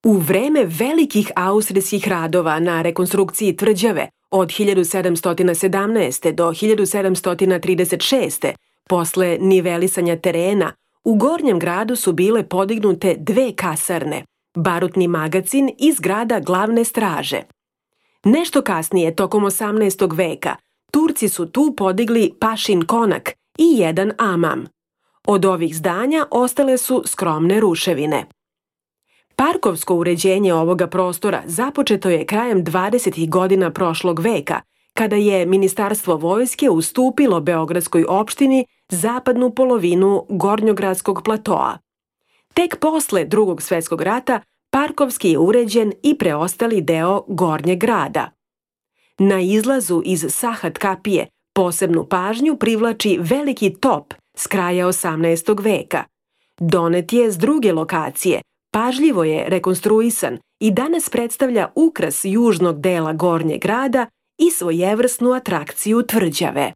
U vreme velikih austrijskih radova na rekonstrukciji tvrđave od 1717. do 1736. posle nivelisanja terena, u Gornjem gradu su bile podignute 2 kasarne, barutni magacin i zgrada glavne straže. Nešto kasnije, tokom 18. veka, Turci su tu podigli pašin konak i jedan amam. Od ovih zdanja ostale su skromne ruševine. Parkovsko uređenje ovoga prostora započeto je krajem 20. godina prošlog veka, kada je Ministarstvo vojske ustupilo Beogradskoj opštini zapadnu polovinu Gornjogradskog platoa. Tek posle Drugog svetskog rata parkovski je uređen i preostali deo Gornjeg grada. Na izlazu iz Sahat kapije posebnu pažnju privlači veliki top s kraja 18. veka. Donet je s druge lokacije, pažljivo je rekonstruisan i danas predstavlja ukras južnog dela Gornjeg grada i svojevrsnu atrakciju tvrđave.